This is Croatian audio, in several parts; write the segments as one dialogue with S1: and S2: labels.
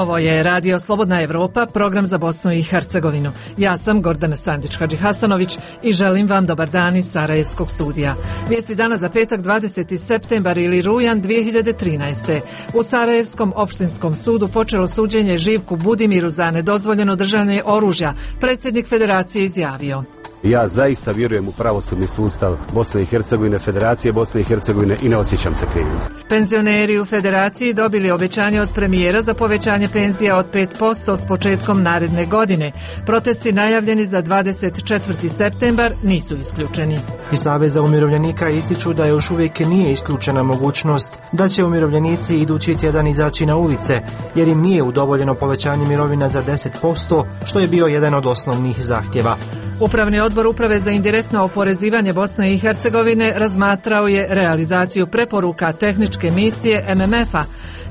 S1: Ovo je Radio Slobodna Evropa, program za Bosnu i Hercegovinu. Ja sam Gordana Sandić-Hadžihasanović i želim vam dobar dan iz Sarajevskog studija. Vijesti dana za petak 20. septembar ili rujan 2013. U Sarajevskom opštinskom sudu počelo suđenje Živku Budimiru za nedozvoljeno držanje oružja. Predsjednik federacije izjavio:
S2: Ja zaista vjerujem u pravosudni sustav Bosne i Hercegovine, Federacije Bosne i Hercegovine i ne osjećam se krivim.
S1: Penzioneri u federaciji dobili obećanje od premijera za povećanje penzija od 5% s početkom naredne godine. Protesti najavljeni za 24. septembar nisu isključeni.
S3: Iz Saveza umirovljenika ističu da još uvijek nije isključena mogućnost da će umirovljenici idući tjedan izaći na ulice, jer im nije udovoljeno povećanje mirovina za 10%, što je bio jedan od osnovnih zahtjeva.
S1: Upravni odbor Uprave za indirektno oporezivanje Bosne i Hercegovine razmatrao je realizaciju preporuka tehničke misije MMF-a.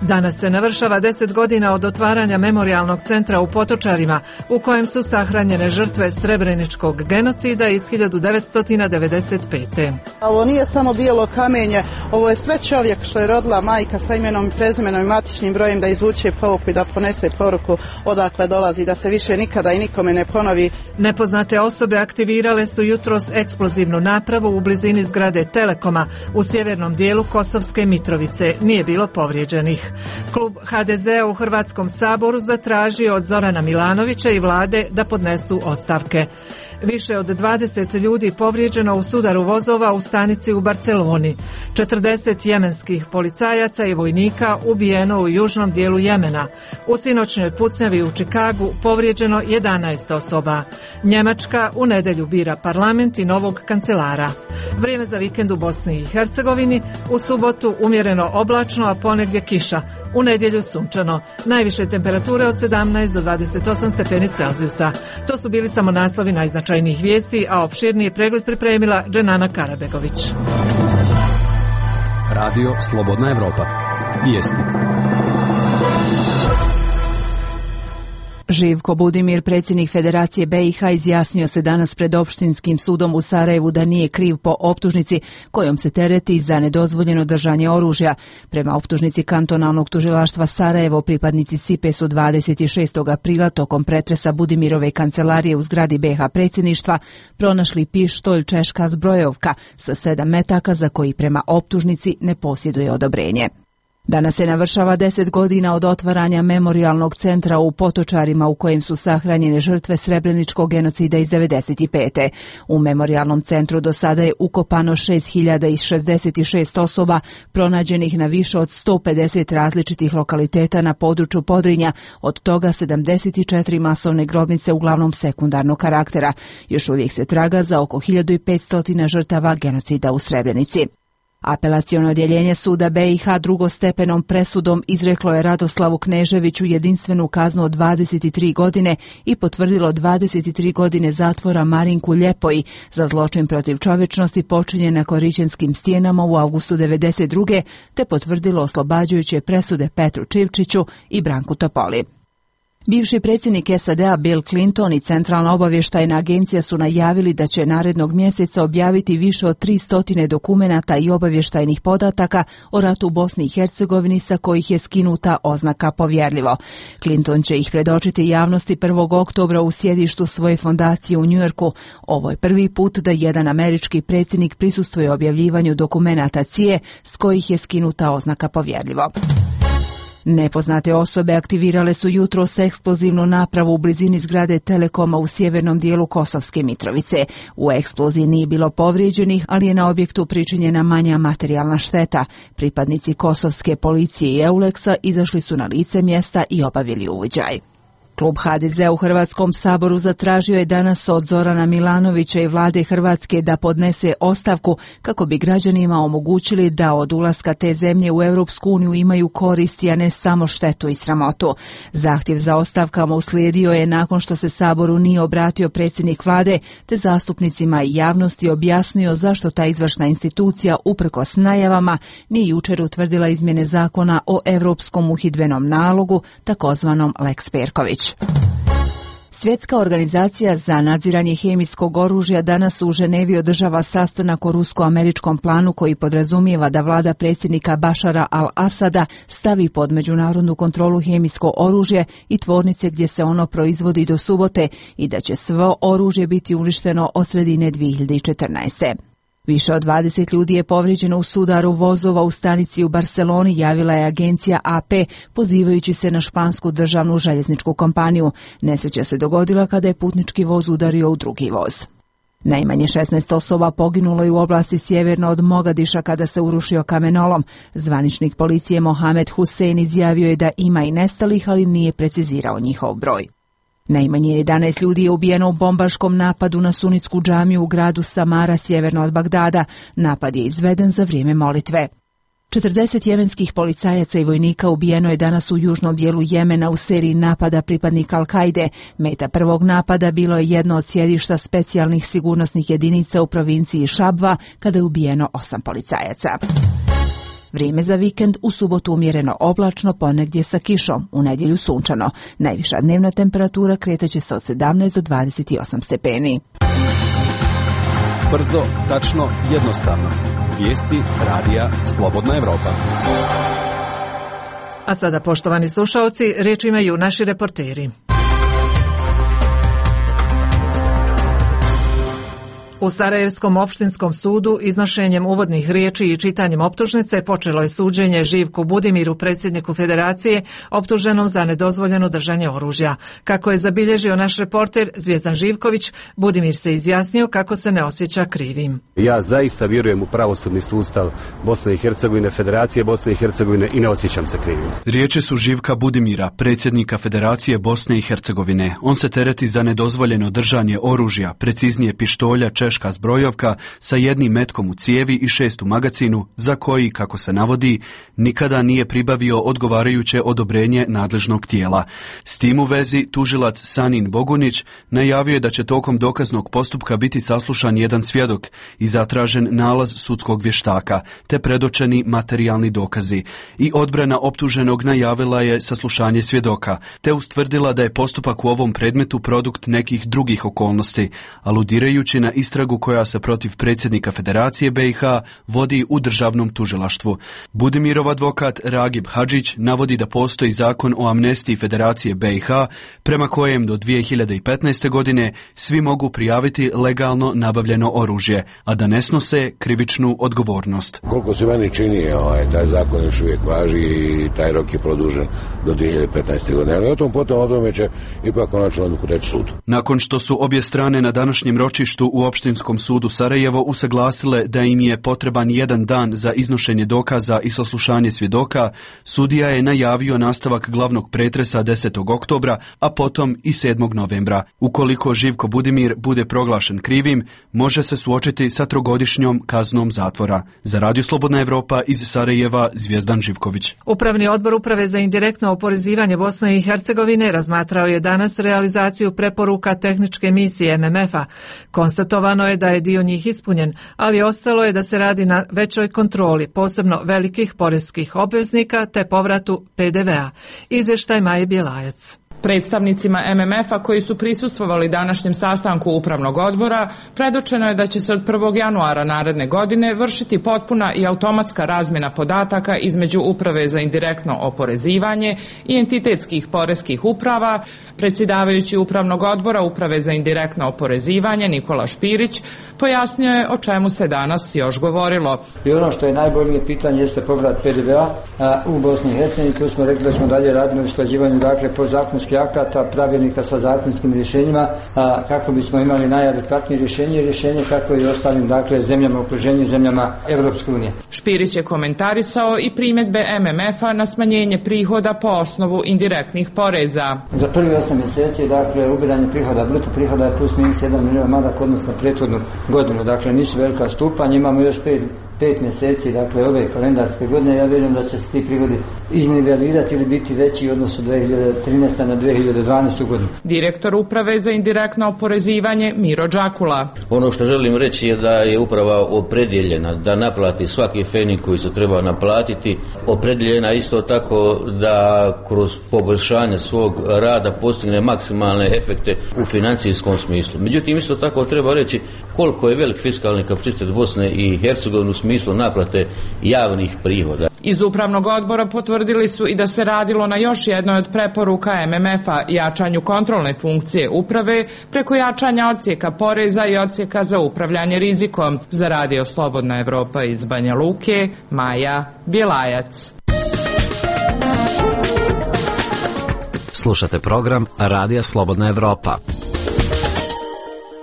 S1: Danas se navršava 10 godina od otvaranja memorijalnog centra u Potočarima, u kojem su sahranjene žrtve srebreničkog genocida iz 1995.
S4: Ovo nije samo bijelo kamenje, ovo je sve čovjek što je rodila majka sa imenom i prezimenom i matičnim brojem da izvuče pouku i da ponese poruku odakle dolazi, da se više nikada i nikome ne ponovi.
S1: Nepoznate osobe aktivirale su jutros eksplozivnu napravu u blizini zgrade Telekoma u sjevernom dijelu Kosovske Mitrovice. Nije bilo povrijeđenih. Klub HDZ-a u Hrvatskom saboru zatražio od Zorana Milanovića i vlade da podnesu ostavke. Više od 20 ljudi povrijeđeno u sudaru vozova u stanici u Barceloni. 40 jemenskih policajaca i vojnika ubijeno u južnom dijelu Jemena. U sinoćnoj pucnjavi u Čikagu povrijeđeno 11 osoba. Njemačka u nedjelju bira parlament i novog kancelara. Vrijeme za vikend u Bosni i Hercegovini: u subotu umjereno oblačno, a ponegdje kiša. U nedjelju sunčano. Najviše temperature od 17 do 28 stepeni Celzijusa. To su bili samo naslovi najznačajnijih vijesti, a opširniji pregled pripremila Dženana Karabegović.
S5: Radio Slobodna Evropa. Vijesti.
S6: Živko Budimir, predsjednik Federacije BiH, izjasnio se danas pred opštinskim sudom u Sarajevu da nije kriv po optužnici kojom se tereti za nedozvoljeno držanje oružja. Prema optužnici kantonalnog tužilaštva Sarajevo, pripadnici SIPE su 26. aprila tokom pretresa Budimirove kancelarije u zgradi BiH predsjedništva pronašli pištolj češka zbrojovka sa 7 metaka za koji prema optužnici ne posjeduje odobrenje. Danas se navršava 10 godina od otvaranja memorijalnog centra u Potočarima u kojem su sahranjene žrtve srebreničkog genocida iz 1995. U memorijalnom centru do sada je ukopano 6066 osoba pronađenih na više od 150 različitih lokaliteta na području Podrinja, od toga 74 masovne grobnice uglavnom sekundarnog karaktera. Još uvijek se traga za oko 1500 žrtava genocida u Srebrenici. Apelaciono odjeljenje suda BiH drugostepenom presudom izreklo je Radoslavu Kneževiću jedinstvenu kaznu od 23 godine i potvrdilo 23 godine zatvora Marinku Ljepoji za zločin protiv čovječnosti počinjen na Korićenskim stijenama u avgustu 1992. te potvrdilo oslobađajuće presude Petru Čivčiću i Branku Topoli. Bivši predsjednik SAD-a Bill Clinton i Centralna obavještajna agencija su najavili da će narednog mjeseca objaviti više od 300 dokumenata i obavještajnih podataka o ratu u Bosni i Hercegovini sa kojih je skinuta oznaka povjerljivo. Clinton će ih predočiti javnosti 1. oktobra u sjedištu svoje fondacije u Njujorku. Ovo je prvi put da jedan američki predsjednik prisustvuje objavljivanju dokumenata CIA s kojih je skinuta oznaka povjerljivo. Nepoznate osobe aktivirale su jutros eksplozivnu napravu u blizini zgrade Telekoma u sjevernom dijelu Kosovske Mitrovice. U eksploziji nije bilo povrijeđenih, ali je na objektu pričinjena manja materijalna šteta. Pripadnici kosovske policije i Euleksa izašli su na lice mjesta i obavili uviđaj. Klub HDZ-a u Hrvatskom saboru zatražio je danas od Zorana Milanovića i vlade Hrvatske da podnese ostavku kako bi građanima omogućili da od ulaska te zemlje u Europsku uniju imaju koristi, a ne samo štetu i sramotu. Zahtjev za ostavkama uslijedio je nakon što se saboru nije obratio predsjednik vlade, te zastupnicima i javnosti objasnio zašto ta izvršna institucija uprkos najavama nije jučer utvrdila izmjene zakona o Europskom uhidbenom nalogu, takozvanom Lex Perković. Svjetska organizacija za nadziranje hemijskog oružja danas u Ženevi održava sastanak o rusko-američkom planu koji podrazumijeva da vlada predsjednika Bašara al-Asada stavi pod međunarodnu kontrolu hemijsko oružje i tvornice gdje se ono proizvodi do subote i da će svo oružje biti uništeno od sredine 2014. Više od 20 ljudi je povrijeđeno u sudaru vozova u stanici u Barceloni, javila je agencija AP, pozivajući se na špansku državnu željezničku kompaniju. Nesreća se dogodila kada je putnički voz udario u drugi voz. Najmanje 16 osoba poginulo je u oblasti sjeverno od Mogadiša kada se urušio kamenolom. Zvaničnik policije Mohamed Hussein izjavio je da ima i nestalih, ali nije precizirao njihov broj. Najmanje 11 ljudi je ubijeno u bombaškom napadu na sunitsku džamiju u gradu Samara, sjeverno od Bagdada. Napad je izveden za vrijeme molitve. 40 jemenskih policajaca i vojnika ubijeno je danas u južnom dijelu Jemena u seriji napada pripadnika Al-Kaide. Meta prvog napada bilo je jedno od sjedišta specijalnih sigurnosnih jedinica u provinciji Šabva, kada je ubijeno 8 policajaca. Vrijeme za vikend: u subotu umjereno oblačno, ponegdje sa kišom, u nedjelju sunčano. Najviša dnevna temperatura kretaće se od 17 do 28 stepeni.
S5: Brzo, tačno, jednostavno. Vijesti radija Slobodna Evropa.
S1: A sada, poštovani slušalci, riječ imaju naši reporteri. U Sarajevskom opštinskom sudu iznošenjem uvodnih riječi i čitanjem optužnice počelo je suđenje Živku Budimiru, predsjedniku Federacije, optuženom za nedozvoljeno držanje oružja. Kako je zabilježio naš reporter Zvijezdan Živković, Budimir se izjasnio kako se ne osjeća krivim.
S2: Ja zaista vjerujem u pravosudni sustav Bosne i Hercegovine, Federacije Bosne i Hercegovine i ne osjećam se krivim.
S7: Riječi su Živka Budimira, predsjednika Federacije Bosne i Hercegovine. On se tereti za nedozvoljeno držanje oružja, preciznije pištolja, češka zbrojovka sa jednim metkom u cijevi i 6 u magacinu, za koji, kako se navodi, nikada nije pribavio odgovarajuće odobrenje nadležnog tijela. S tim u vezi tužilac Sanin Bogunić najavio je da će tokom dokaznog postupka biti saslušan jedan svjedok i zatražen nalaz sudskog vještaka, te predočeni materijalni dokazi. I odbrana optuženog najavila je saslušanje svjedoka, te ustvrdila da je postupak u ovom predmetu produkt nekih drugih okolnosti, aludirajući na istragu koja se protiv predsjednika Federacije BiH vodi u državnom tužilaštvu. Budimirov advokat Ragib Hadžić navodi da postoji zakon o amnestiji Federacije BiH prema kojem do 2015. godine svi mogu prijaviti legalno nabavljeno oružje, a da ne snose krivičnu odgovornost.
S8: Koliko se meni čini, taj zakon još uvijek važi i taj rok je produžen do 2015. godine, ali o tome će ipak konačno odluku reći sud.
S7: Nakon što su obje strane na današnjem ročištu u Opštinskom sudu Sarajevo usaglasile da im je potreban jedan dan za iznošenje dokaza i saslušanje svjedoka, sudija je najavio nastavak glavnog pretresa 10. oktobra, a potom i 7. novembra. Ukoliko Živko Budimir bude proglašen krivim, može se suočiti sa 3-godišnjom kaznom zatvora. Za Radio Slobodna Evropa iz Sarajeva, Zvijezdan Živković.
S1: Upravni odbor Uprave za indirektno oporezivanje Bosne i Hercegovine razmatrao je danas realizaciju preporuka tehničke misije MMF-a. Konstatovano je da je dio njih ispunjen, ali ostalo je da se radi na većoj kontroli, posebno velikih poreskih obveznika te povratu PDV-a. Izvještaj Maje Bjelajac.
S9: Predstavnicima MMF-a koji su prisustvovali današnjem sastanku Upravnog odbora predočeno je da će se od 1. januara naredne godine vršiti potpuna i automatska razmjena podataka između Uprave za indirektno oporezivanje i entitetskih poreskih uprava. Predsjedavajući Upravnog odbora Uprave za indirektno oporezivanje Nikola Špirić pojasnio je o čemu se danas još govorilo.
S10: I ono što je najbolje pitanje jeste povrat PDV-a u Bosni i Hercegovini. Tu smo rekli da smo dalje radili u usklađivanju podzakonskih akata, pravilnika sa zakonskim rješenjima, kako bismo imali najadekvatnije rješenje kako i ostalim zemljama u okruženju, zemljama Europske unije.
S9: Špirić je komentarisao i primjedbe MMF-a na smanjenje prihoda po osnovu indirektnih poreza.
S10: Za prvi 8 mjeseci, ubiranje prihoda, bruto prihoda je plus minus 1 milion maraka odnosno prethodnu godinu. Nisu velika stupanja, imamo još 5 5 mjeseci, dakle ove kalendarske godine, ja vjerujem da će se ti prihodi iznivelirati ili biti veći u odnosu 2013. na 2012. godinu.
S9: Direktor uprave za indirektno oporezivanje Miro Đakula.
S11: Ono što želim reći je da je uprava opredjeljena da naplati svaki fening koji se treba naplatiti, opredjeljena isto tako da kroz poboljšanje svog rada postigne maksimalne efekte u financijskom smislu. Međutim, isto tako treba reći koliko je velik fiskalni kapacitet Bosne i Hercegovine u smislu naplate javnih prihoda.
S9: Iz upravnog odbora potvrdili su i da se radilo na još jednoj od preporuka MMF-a, jačanju kontrolne funkcije uprave preko jačanja odsjeka poreza i odsjeka za upravljanje rizikom. Za Radio Slobodna Evropa iz Banja Luke, Maja Bjelajac.
S12: Slušate program Radija Slobodna Evropa.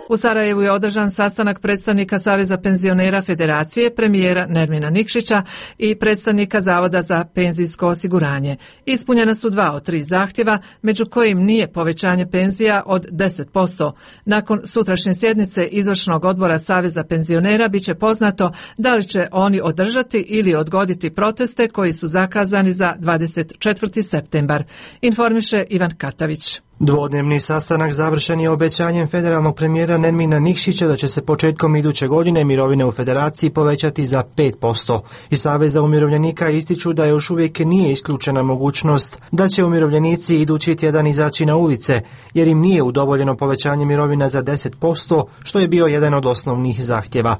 S1: U Sarajevu je održan sastanak predstavnika Saveza penzionera Federacije, premijera Nermina Nikšića i predstavnika Zavoda za penzijsko osiguranje. Ispunjena su 2 od 3 zahtjeva, među kojim nije povećanje penzija od 10%. Nakon sutrašnje sjednice Izvršnog odbora Saveza penzionera biće poznato da li će oni održati ili odgoditi proteste koji su zakazani za 24. septembar. Informiše Ivan Katavić.
S3: Dvodnevni sastanak završen je obećanjem federalnog premijera Nermina Nikšića da će se početkom iduće godine mirovine u Federaciji povećati za 5%. Iz Saveza umirovljenika ističu da još uvijek nije isključena mogućnost da će umirovljenici idući tjedan izaći na ulice, jer im nije udovoljeno povećanje mirovina za 10%, što je bio jedan od osnovnih zahtjeva.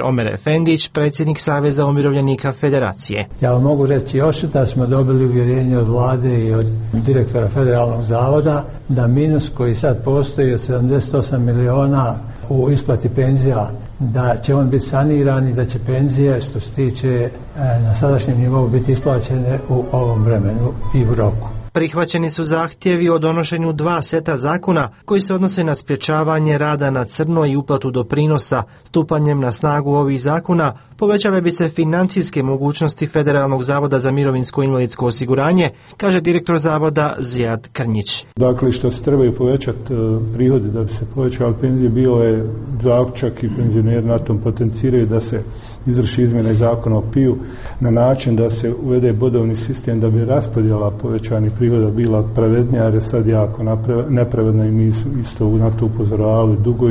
S3: Omer Efendić, predsjednik Saveza umirovljenika Federacije.
S13: Ja vam mogu reći još da smo dobili uvjerenje od vlade i od direktora federalnog zavoda da minus koji sad postoji od 78 miliona u isplati penzija, da će on biti saniran i da će penzije što se tiče na sadašnjem nivou biti isplaćene u ovom vremenu i u roku.
S3: Prihvaćeni su zahtjevi o donošenju 2 seta zakona koji se odnose na sprječavanje rada na crno i uplatu doprinosa. Stupanjem na snagu ovih zakona povećale bi se financijske mogućnosti Federalnog zavoda za mirovinsko i invalidsko osiguranje, kaže direktor zavoda Zijad Krnjić.
S14: Dakle, što se trebaju povećati prihodi da bi se povećali penzije, bilo je zaključak i penzioneri na tom potenciraju da se izvrši izmjena zakona o PIU na način da se uvede bodovni sistem da bi raspodjela povećanih prihoda bila pravednija, jer je sad jako nepravedna i mi isto na to upozoravali dugo.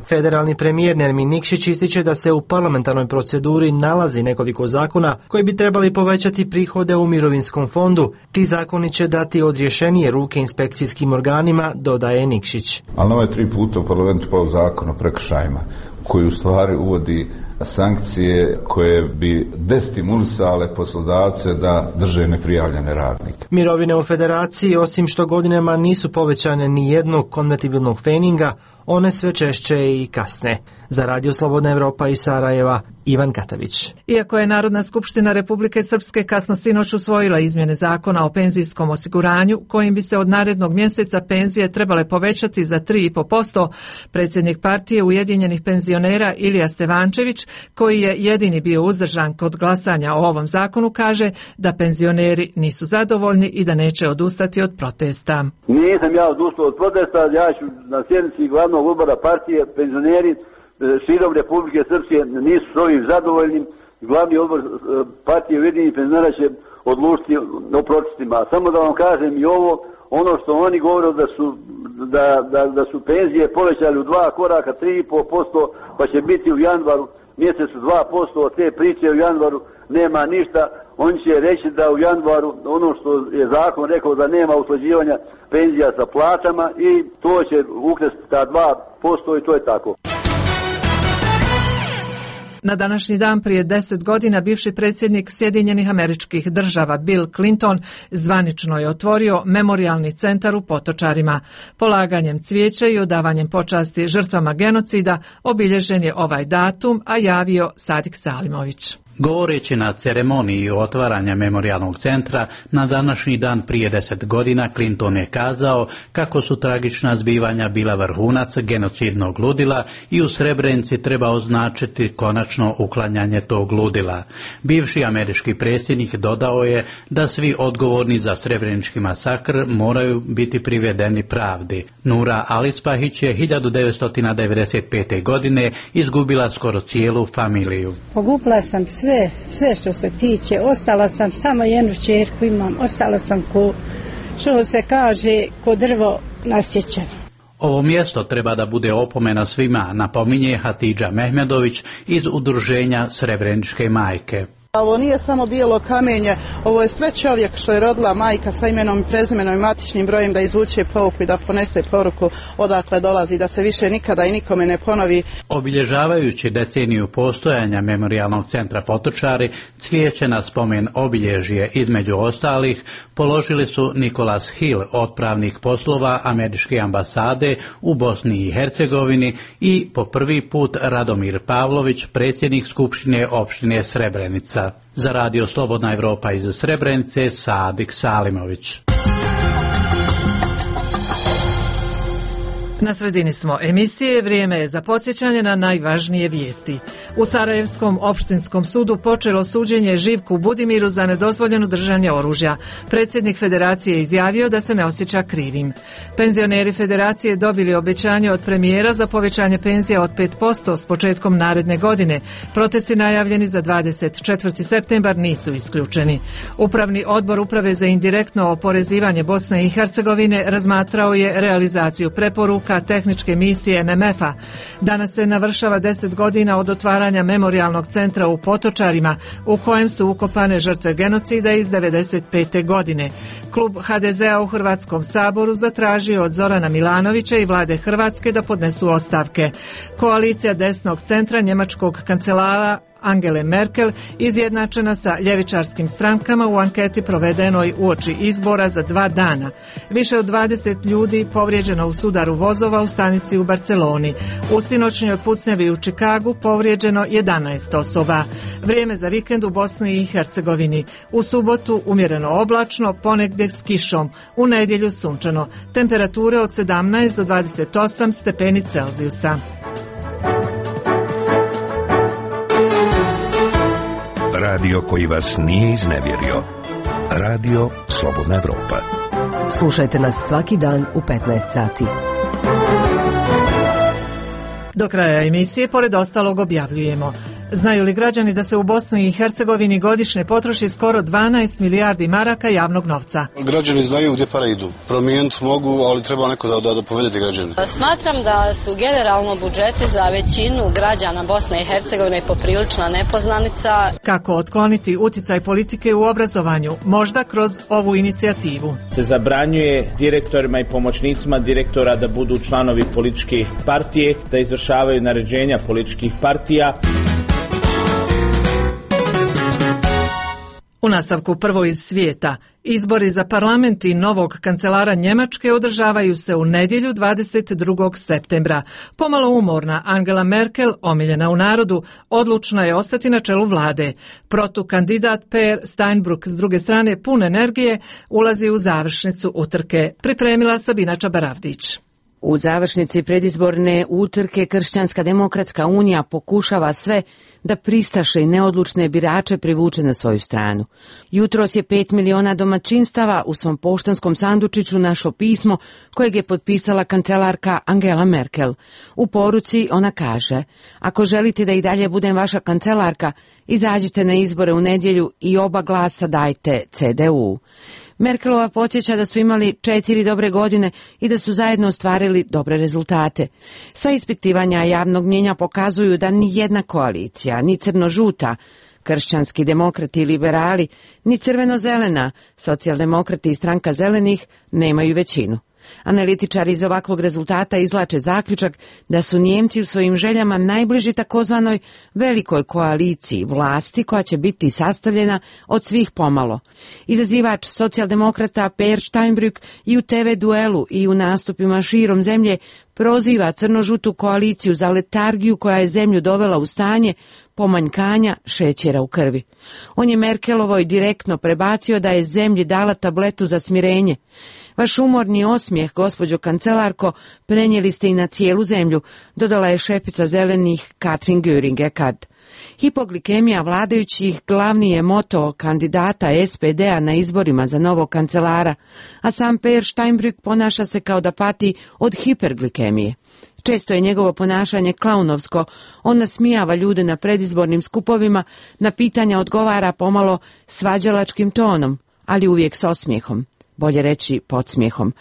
S3: Federalni premijer Nermin Nikšić ističe da se u parlamentarnoj proceduri nalazi nekoliko zakona koji bi trebali povećati prihode u mirovinskom fondu. Ti zakoni će dati odrješenije ruke inspekcijskim organima, dodaje Nikšić.
S15: Ali ovo je 3 puta u parlamentu pao zakon o prekršajima koji u stvari uvodi sankcije koje bi destimulisale poslodavce da drže neprijavljene radnike.
S3: Mirovine u Federaciji, osim što godinama nisu povećane ni jednog konvertibilnog feninga, one sve češće i kasne. Za Radio Slobodna Evropa iz Sarajeva, Ivan Katavić. Iako je Narodna skupština Republike Srpske kasno sinoć usvojila izmjene zakona o penzijskom osiguranju, kojim bi se od narednog mjeseca penzije trebale povećati za 3,5%, predsjednik partije Ujedinjenih penzionera Ilija Stevančević, koji je jedini bio uzdržan kod glasanja o ovom zakonu, kaže da penzioneri nisu zadovoljni i da neće odustati od protesta.
S16: Nisam ja odustao od protesta, ja ću na sjednici glavnog odbora partije, penzioneri širom Republike Srpske nisu s ovim zadovoljnim. Glavni odbor partije Ujedinjenih penzionera će odlučiti o protestima. Samo da vam kažem i ovo, ono što oni govore da su penzije povećali u 2 koraka 3,5%, pa će biti u januaru mjesecu 2%, od te priče u januaru nema ništa. Oni će reći da u januaru ono što je zakon rekao da nema usklađivanja penzija sa plaćama i to će ukresti ta 2% i to je tako.
S1: Na današnji dan prije 10 godina bivši predsjednik Sjedinjenih Američkih Država Bill Clinton zvanično je otvorio memorijalni centar u Potočarima. Polaganjem cvijeća i odavanjem počasti žrtvama genocida obilježen je ovaj datum, a javio Sadik Salimović.
S17: Govoreći na ceremoniji otvaranja memorijalnog centra na današnji dan prije 10 godina, Clinton je kazao kako su tragična zbivanja bila vrhunac genocidnog ludila i u Srebrenici treba označiti konačno uklanjanje tog ludila. Bivši američki predsjednik dodao je da svi odgovorni za srebrenički masakr moraju biti privedeni pravdi. Nura Alispahić je 1995. godine izgubila skoro cijelu familiju.
S18: Pogubila sam sve što se tiče. Ostala sam, samo jednu ćerku imam, ostala sam što se kaže, ko drvo nasjećeno.
S17: Ovo mjesto treba da bude opomena svima, napominje Hatidža Mehmedović iz udruženja Srebreničke majke.
S4: Ovo nije samo bijelo kamenje, ovo je sve čovjek što je rodila majka sa imenom i prezimenom i matičnim brojem da izvuče pouku i da ponese poruku odakle dolazi, da se više nikada i nikome ne ponovi.
S17: Obilježavajući deceniju postojanja Memorijalnog centra Potočari, cvijeće na spomen obilježje između ostalih položili su Nicholas Hill, otpravnik poslova Američke ambasade u Bosni i Hercegovini, i po prvi put Radomir Pavlović, predsjednik Skupštine opštine Srebrenica. Za Radio Slobodna Evropa iz Srebrenice, Sadik Salimović.
S1: Na sredini smo emisije, vrijeme je za podsjećanje na najvažnije vijesti. U Sarajevskom opštinskom sudu počelo suđenje Živku Budimiru za nedozvoljeno držanje oružja. Predsjednik federacije izjavio da se ne osjeća krivim. Penzioneri federacije dobili obećanje od premijera za povećanje penzija od 5% s početkom naredne godine. Protesti najavljeni za 24. septembar nisu isključeni. Upravni odbor Uprave za indirektno oporezivanje Bosne i Hercegovine razmatrao je realizaciju preporuka tehničke misije MMF-a. Danas se navršava 10 godina od otvaranja Memorijalnog centra u Potočarima, u kojem su ukopane žrtve genocida iz 1995. godine. Klub HDZ-a u Hrvatskom saboru zatražio od Zorana Milanovića i vlade Hrvatske da podnesu ostavke. Koalicija desnog centra njemačkog kancelara Angele Merkel izjednačena sa ljevičarskim strankama u anketi provedenoj uoči izbora za 2 dana. Više od 20 ljudi povrijeđeno u sudaru vozova u stanici u Barceloni. U sinoćnjoj pucnjavi u Čikagu povrijeđeno 11 osoba. Vrijeme za vikend u Bosni i Hercegovini. U subotu umjereno oblačno, ponegdje s kišom. U nedjelju sunčano. Temperature od 17 do 28 stepeni Celzijusa.
S19: Radio koji vas nije iznevjerio. Radio Slobodna Evropa.
S20: Slušajte nas svaki dan u 15 sati.
S1: Do kraja emisije, pored ostalog, objavljujemo: znaju li građani da se u Bosni i Hercegovini godišnje potroši skoro 12 milijardi maraka javnog novca?
S21: Građani znaju gdje pare idu. Promijeniti mogu, ali treba neko da povedete građane.
S22: Smatram da su generalno budžeti za većinu građana Bosne i Hercegovine poprilična nepoznanica.
S1: Kako otkloniti utjecaj politike u obrazovanju? Možda kroz ovu inicijativu.
S23: Se zabranjuje direktorima i pomoćnicima direktora da budu članovi političke partije, da izvršavaju naređenja političkih partija.
S1: U nastavku prvo iz svijeta. Izbori za parlament i novog kancelara Njemačke održavaju se u nedjelju 22. septembra. Pomalo umorna Angela Merkel, omiljena u narodu, odlučna je ostati na čelu vlade. Protukandidat Per Steinbrück s druge strane pun energije ulazi u završnicu utrke. Pripremila Sabina Čabaravdić.
S24: U završnici predizborne utrke Kršćanska demokratska unija pokušava sve da pristaše i neodlučne birače privuče na svoju stranu. Jutros je 5 miliona domaćinstava u svom poštanskom sandučiću našlo pismo kojeg je potpisala kancelarka Angela Merkel. U poruci ona kaže: ako želite da i dalje budem vaša kancelarka, izađite na izbore u nedjelju i oba glasa dajte CDU. Merkelova podsjeća da su imali 4 dobre godine i da su zajedno ostvarili dobre rezultate. Sva ispitivanja javnog mnijenja pokazuju da ni jedna koalicija, ni crno-žuta, kršćanski demokrati i liberali, ni crveno-zelena, socijaldemokrati i stranka zelenih nemaju većinu. Analitičari iz ovakvog rezultata izvlače zaključak da su Nijemci u svojim željama najbliži takozvanoj velikoj koaliciji vlasti koja će biti sastavljena od svih pomalo. Izazivač socijaldemokrata Per Steinbrück i u TV duelu i u nastupima širom zemlje proziva crno-žutu koaliciju za letargiju koja je zemlju dovela u stanje pomanjkanja šećera u krvi. On je Merkelovoj direktno prebacio da je zemlji dala tabletu za smirenje. Vaš umorni osmijeh, gospođo kancelarko, prenijeli ste i na cijelu zemlju, dodala je šefica zelenih Katrin Göring-Eckardt. Hipoglikemija vladajućih glavni je moto kandidata SPD-a na izborima za novog kancelara, a sam Per Steinbrück ponaša se kao da pati od hiperglikemije. Često je njegovo ponašanje klaunovsko. On nasmijava ljude na predizbornim skupovima, na pitanja odgovara pomalo svađalačkim tonom, ali uvijek s osmijehom. Bolje reći podsmijehom.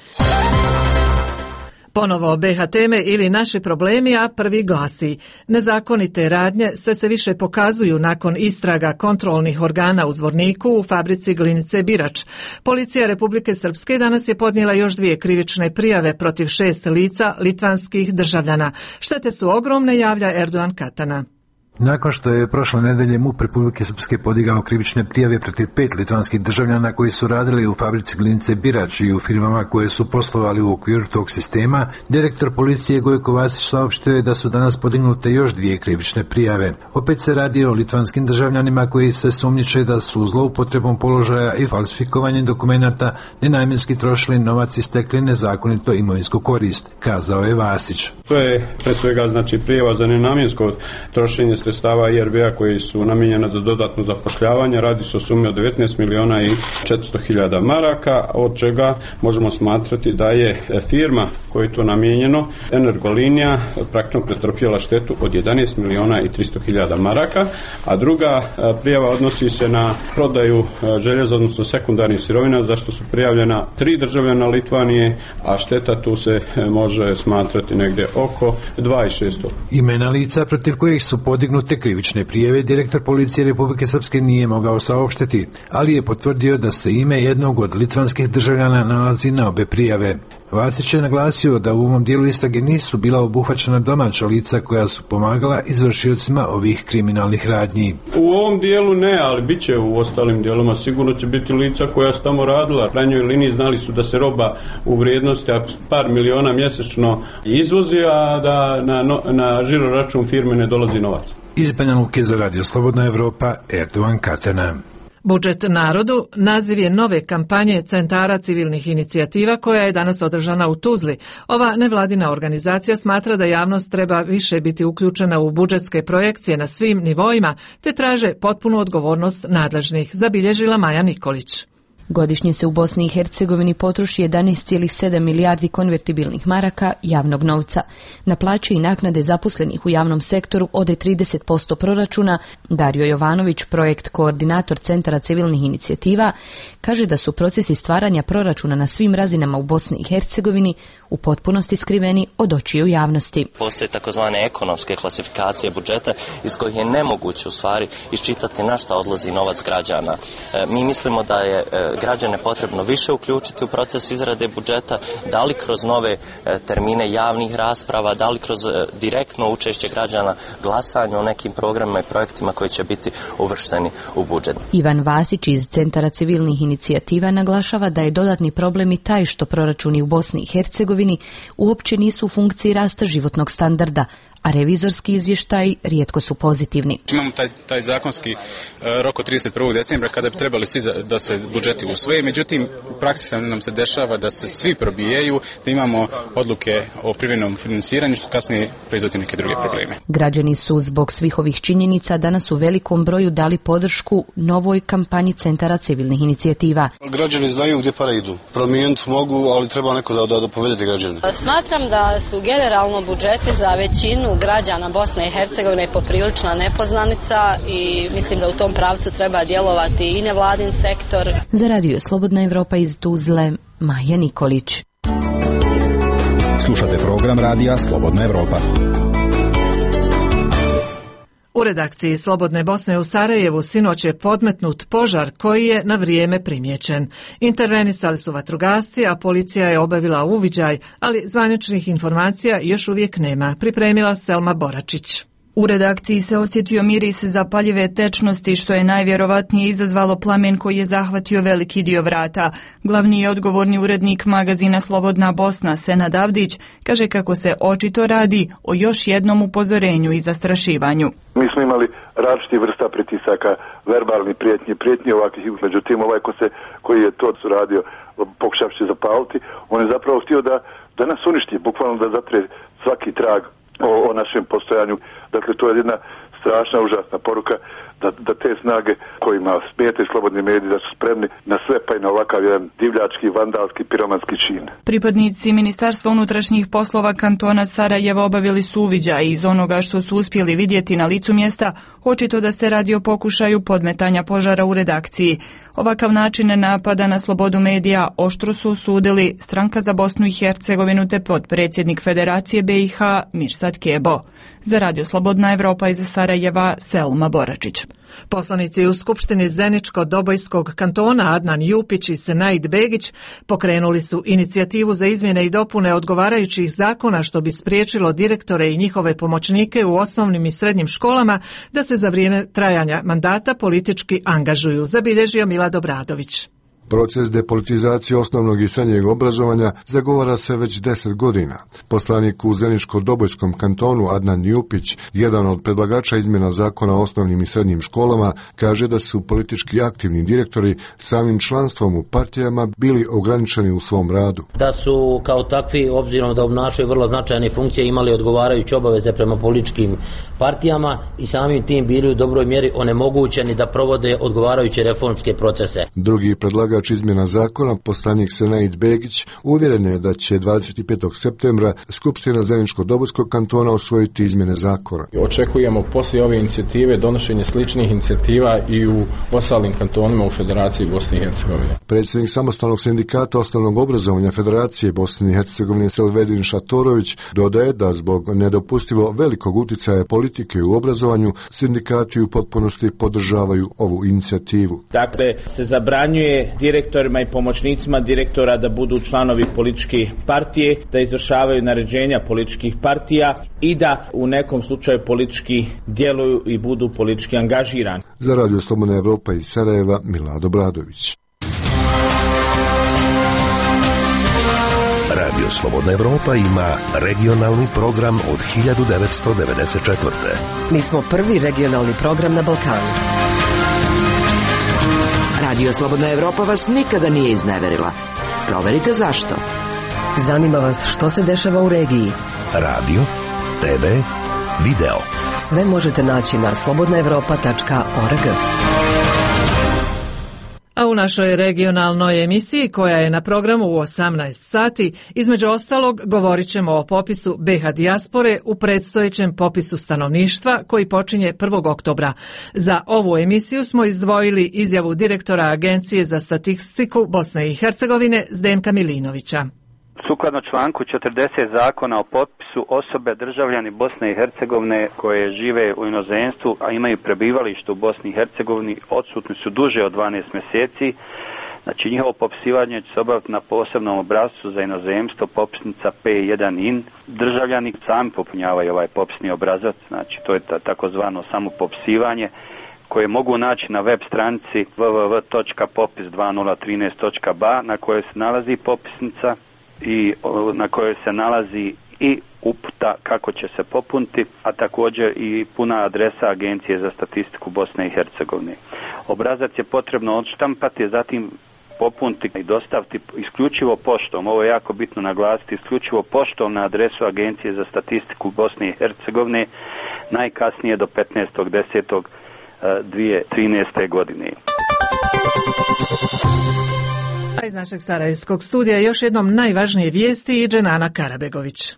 S1: Ponovo BiH teme ili naši problemi, a prvi glasi: nezakonite radnje sve se više pokazuju nakon istraga kontrolnih organa u Zvorniku u fabrici glinice Birač. Policija Republike Srpske danas je podnijela još 2 krivične prijave protiv 6 lica litvanskih državljana. Štete su ogromne, javlja Erdogan Katana.
S2: Nakon što je prošle nedelje MUP Republike Srpske podigao krivične prijave protiv 5 litvanskih državljana koji su radili u fabrici glinice Birač i u firmama koje su poslovali u okviru tog sistema, direktor policije Gojko Vasić saopštio je da su danas podignute još 2 krivične prijave. Opet se radi o litvanskim državljanima koji se sumnjiče da su zloupotrebom položaja i falsifikovanjem dokumenata nenamjenski trošili novac i stekli nezakonito imovinsku korist, kazao je Vasić.
S5: To je pre svega prijava za nenamjensko trošenje sredstava IRB-a koji su namijenjena za dodatno zapošljavanje. Radi se o sumi od 19 miliona i 400.000 maraka, od čega možemo smatrati da je firma koja je to namijenjeno, Energolinija, praktično pretrpjela štetu od 11 miliona i 300.000 maraka, a druga prijava odnosi se na prodaju željeza, odnosno sekundarnih sirovina, za što su prijavljena 3 državljana Litvanije, a šteta tu se može smatrati negdje oko 2.600.
S2: Imena lica protiv kojih su podignute krivične prijave direktor policije Republike Srpske nije mogao saopštiti, ali je potvrdio da se ime jednog od litvanskih državljana nalazi na obe prijave. Vasić je naglasio da u ovom dijelu istrage nisu bila obuhvaćena domaća lica koja su pomagala izvršiocima ovih kriminalnih radnji.
S5: U ovom dijelu ne, ali bit će u ostalim dijeloma. Sigurno će biti lica koja su tamo radila. U krajnjoj liniji znali su da se roba u vrijednosti par miliona mjesečno izvozi, a da na žiro račun firme ne dolazi novac.
S2: Iz Banja Luke za Radio Slobodna Evropa, Erdogan Katana.
S1: Budžet narodu naziv je nove kampanje Centara civilnih inicijativa koja je danas održana u Tuzli. Ova nevladina organizacija smatra da javnost treba više biti uključena u budžetske projekcije na svim nivoima, te traže potpunu odgovornost nadležnih, zabilježila Maja Nikolić.
S6: Godišnje se u Bosni i Hercegovini potroši 11,7 milijardi konvertibilnih maraka javnog novca. Na plaće i naknade zaposlenih u javnom sektoru ode 30% proračuna. Dario Jovanović, projekt koordinator Centara civilnih inicijativa, kaže da su procesi stvaranja proračuna na svim razinama u Bosni i Hercegovini u potpunosti skriveni od očiju javnosti.
S8: Postoje takozvane ekonomske klasifikacije budžeta iz kojih je nemoguće u stvari iščitati na šta odlazi novac građana. Mi mislimo da je građane potrebno više uključiti u proces izrade budžeta, da li kroz nove termine javnih rasprava, da li kroz direktno učešće građana glasanju o nekim programima i projektima koji će biti uvršteni u budžet.
S6: Ivan Vasić iz Centara civilnih inicijativa naglašava da je dodatni problem i taj što proračuni u Bosni i Hercegovini uopće nisu u funkciji rasta životnog standarda, a revizorski izvještaji rijetko su pozitivni.
S25: Imamo taj zakonski rok od 31. decembra kada bi trebali svi da se budžeti usvoje, međutim u praksi nam se dešava da se svi probijaju, da imamo odluke o privremenom finansiranju što kasnije proizvodi neke druge probleme.
S6: Građani su zbog svih ovih činjenica danas u velikom broju dali podršku novoj kampanji Centara civilnih inicijativa.
S21: Građani znaju gdje pare idu. Promijeniti mogu, ali treba neko da povedete građane.
S22: Smatram da su generalno budžeti za većinu građana Bosne i Hercegovine poprilična nepoznanica i mislim da u tom pravcu treba djelovati i nevladin sektor.
S6: Za Radio Slobodna Evropa iz Tuzle, Maja Nikolić.
S19: Slušate program Radija Slobodna Evropa.
S1: U redakciji Slobodne Bosne u Sarajevu sinoć je podmetnut požar koji je na vrijeme primijećen. Intervenisali su vatrogasci, a policija je obavila uviđaj, ali zvaničnih informacija još uvijek nema, pripremila Selma Boračić.
S26: U redakciji se osjetio miris zapaljive tečnosti što je najvjerovatnije izazvalo plamen koji je zahvatio veliki dio vrata. Glavni i odgovorni urednik magazina Slobodna Bosna, Senad Avdić, kaže kako se očito radi o još jednom upozorenju i zastrašivanju.
S27: Mi smo imali različitih vrsta pritisaka, verbalni prijetnji ovakvih, međutim koji je to radio pokušavši zapaliti, on je zapravo htio da nas uništi, bukvalno da zatre svaki trag o našem postojanju. Dakle, to je jedna strašna, užasna poruka da te snage kojima smetaju slobodni mediji da su spremni na sve, pa i na ovakav jedan divljački, vandalski, piromanski čin.
S26: Pripadnici Ministarstva unutrašnjih poslova kantona Sarajeva obavili su uviđaj i iz onoga što su uspjeli vidjeti na licu mjesta, očito da se radi o pokušaju podmetanja požara u redakciji. Ovakav način napada na slobodu medija oštro su osudili Stranka za Bosnu i Hercegovinu te potpredsjednik Federacije BiH Mirsad Kebo. Za Radio Slobodna Evropa iz Sarajeva, Selma Boračić.
S1: Poslanici u Skupštini Zeničko-Dobojskog kantona Adnan Jupić i Senaid Begić pokrenuli su inicijativu za izmjene i dopune odgovarajućih zakona što bi spriječilo direktore i njihove pomoćnike u osnovnim i srednjim školama da se za vrijeme trajanja mandata politički angažuju, zabilježio Milad Obradović.
S7: Proces depolitizacije osnovnog i srednjeg obrazovanja zagovara se već 10 godina. Poslanik u Zeničko-Dobojskom kantonu Adnan Jupić, jedan od predlagača izmjena zakona o osnovnim i srednjim školama, kaže da su politički aktivni direktori samim članstvom u partijama bili ograničeni u svom radu.
S9: Da su kao takvi, obzirom da obnašaju vrlo značajne funkcije, imali odgovarajuće obaveze prema političkim partijama i samim tim bili u dobroj mjeri onemogućeni da provode odgovarajuće reformske procese.
S7: Drugi predlagač izmjena zakona, poslanik Senaid Begić, uvjeren je da će 25. septembra Skupština Zeničko-Dobojskog kantona usvojiti izmjene zakona.
S10: Očekujemo poslije ove inicijative donošenje sličnih inicijativa i u ostalim kantonima u Federaciji Bosne i Hercegovine.
S7: Predsjednik samostalnog sindikata osnovnog obrazovanja Federacije Bosne i Hercegovine Selvedin Šatorović dodaje da zbog nedopustivo velikog utjecaja politike u obrazovanju sindikati u potpunosti podržavaju ovu inicijativu.
S23: Dakle, se zabranjuje direktorima i pomoćnicima direktora da budu članovi političke partije, da izvršavaju naređenja političkih partija i da u nekom slučaju politički djeluju i budu politički angažirani.
S7: Za Radio Slobodna Evropa iz Sarajeva, Milad Obradović.
S11: Radio Slobodna Evropa ima regionalni program od 1994.
S20: Mi smo prvi regionalni program na Balkanu.
S12: Radio Slobodna Evropa vas nikada nije izneverila. Proverite zašto.
S20: Zanima vas što se dešava u regiji.
S11: Radio, TV, video.
S20: Sve možete naći na slobodnaevropa.org.
S1: A u našoj regionalnoj emisiji koja je na programu u 18 sati, između ostalog govorit ćemo o popisu BiH dijaspore u predstojećem popisu stanovništva koji počinje 1. oktobra. Za ovu emisiju smo izdvojili izjavu direktora Agencije za statistiku Bosne i Hercegovine Zdenka Milinovića.
S13: Sukladno članku 40 zakona o popisu, osobe državljani Bosne i Hercegovine koje žive u inozemstvu, a imaju prebivalište u Bosni i Hercegovini, odsutni su duže od 12 mjeseci. Znači, njihovo popisivanje će se obaviti na posebnom obrascu za inozemstvo, popisnica P1IN. Državljani sami popunjavaju ovaj popisni obrazac, znači to je takozvano samopopisivanje, koje mogu naći na web stranici www.popis2013.ba na kojoj se nalazi popisnica i na kojoj se nalazi i uputa kako će se popuniti, a također i puna adresa Agencije za statistiku Bosne i Hercegovine. Obrazac je potrebno odštampati, zatim popuniti i dostaviti isključivo poštom. Ovo je jako bitno naglasiti, isključivo poštom na adresu Agencije za statistiku Bosne i Hercegovine najkasnije do 15.10.2013. godine.
S1: A iz našeg sarajevskog studija još jednom najvažnije vijesti i Dženana Karabegović.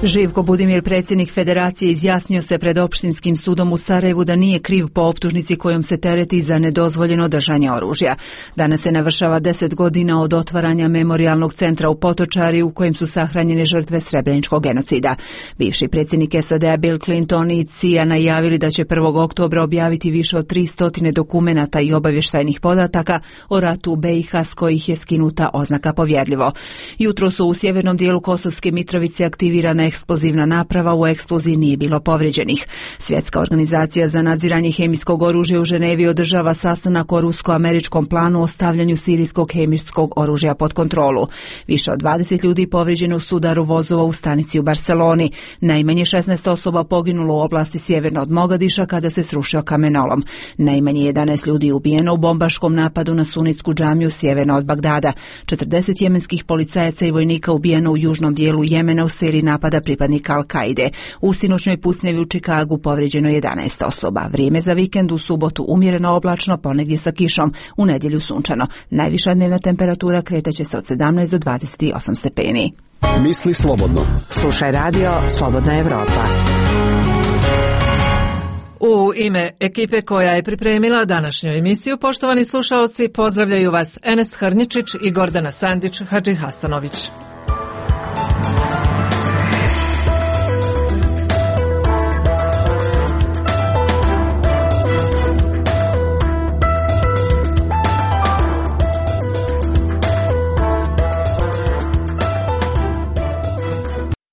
S6: Živko Budimir, predsjednik Federacije, izjasnio se pred Opštinskim sudom u Sarajevu da nije kriv po optužnici kojom se tereti za nedozvoljeno držanje oružja. Danas se navršava 10 godina od otvaranja memorijalnog centra u Potočari u kojem su sahranjene žrtve Srebreničkog genocida. Bivši predsjednik SAD-a Bill Clinton i CIA najavili da će 1. oktobra objaviti više od 300 dokumenata i obavještajnih podataka o ratu u BiH s kojih je skinuta oznaka povjerljivo. Jutro su u sjevernom dijelu Kosovske Mitrovice aktivirana eksplozivna naprava, u eksploziji nije bilo povrijeđenih. Svjetska organizacija za nadziranje hemijskog oružja u Ženevi održava sastanak o rusko-američkom planu o stavljanju sirijskog hemijskog oružja pod kontrolu. Više od 20 ljudi povrijeđeno u sudaru vozova u stanici u Barceloni. Najmanje 16 osoba poginulo u oblasti sjeverno od Mogadiša kada se srušio kamenolom. Najmanje 11 ljudi ubijeno u bombaškom napadu na sunitsku džamiju sjeverno od Bagdada. 40 jemenskih policajaca i vojnika ubijeno u južnom dijelu Jemena u seriji napada
S3: teroristička pripadnika Al-Kaide. U sinoćnoj pucnjavi u Čikagu povrijeđeno 11 osoba. Vrijeme za vikend: u subotu umjereno oblačno, ponegdje sa kišom, u nedjelju sunčano. Najviša dnevna temperatura kretaće se od 17 do 28 stepeni.
S19: Misli slobodno.
S12: Slušaj radio Slobodna Evropa.
S1: U ime ekipe koja je pripremila današnju emisiju, poštovani slušaoci, pozdravljaju vas Enes Hrnjičić i Gordana Sandić Hadžihasanović.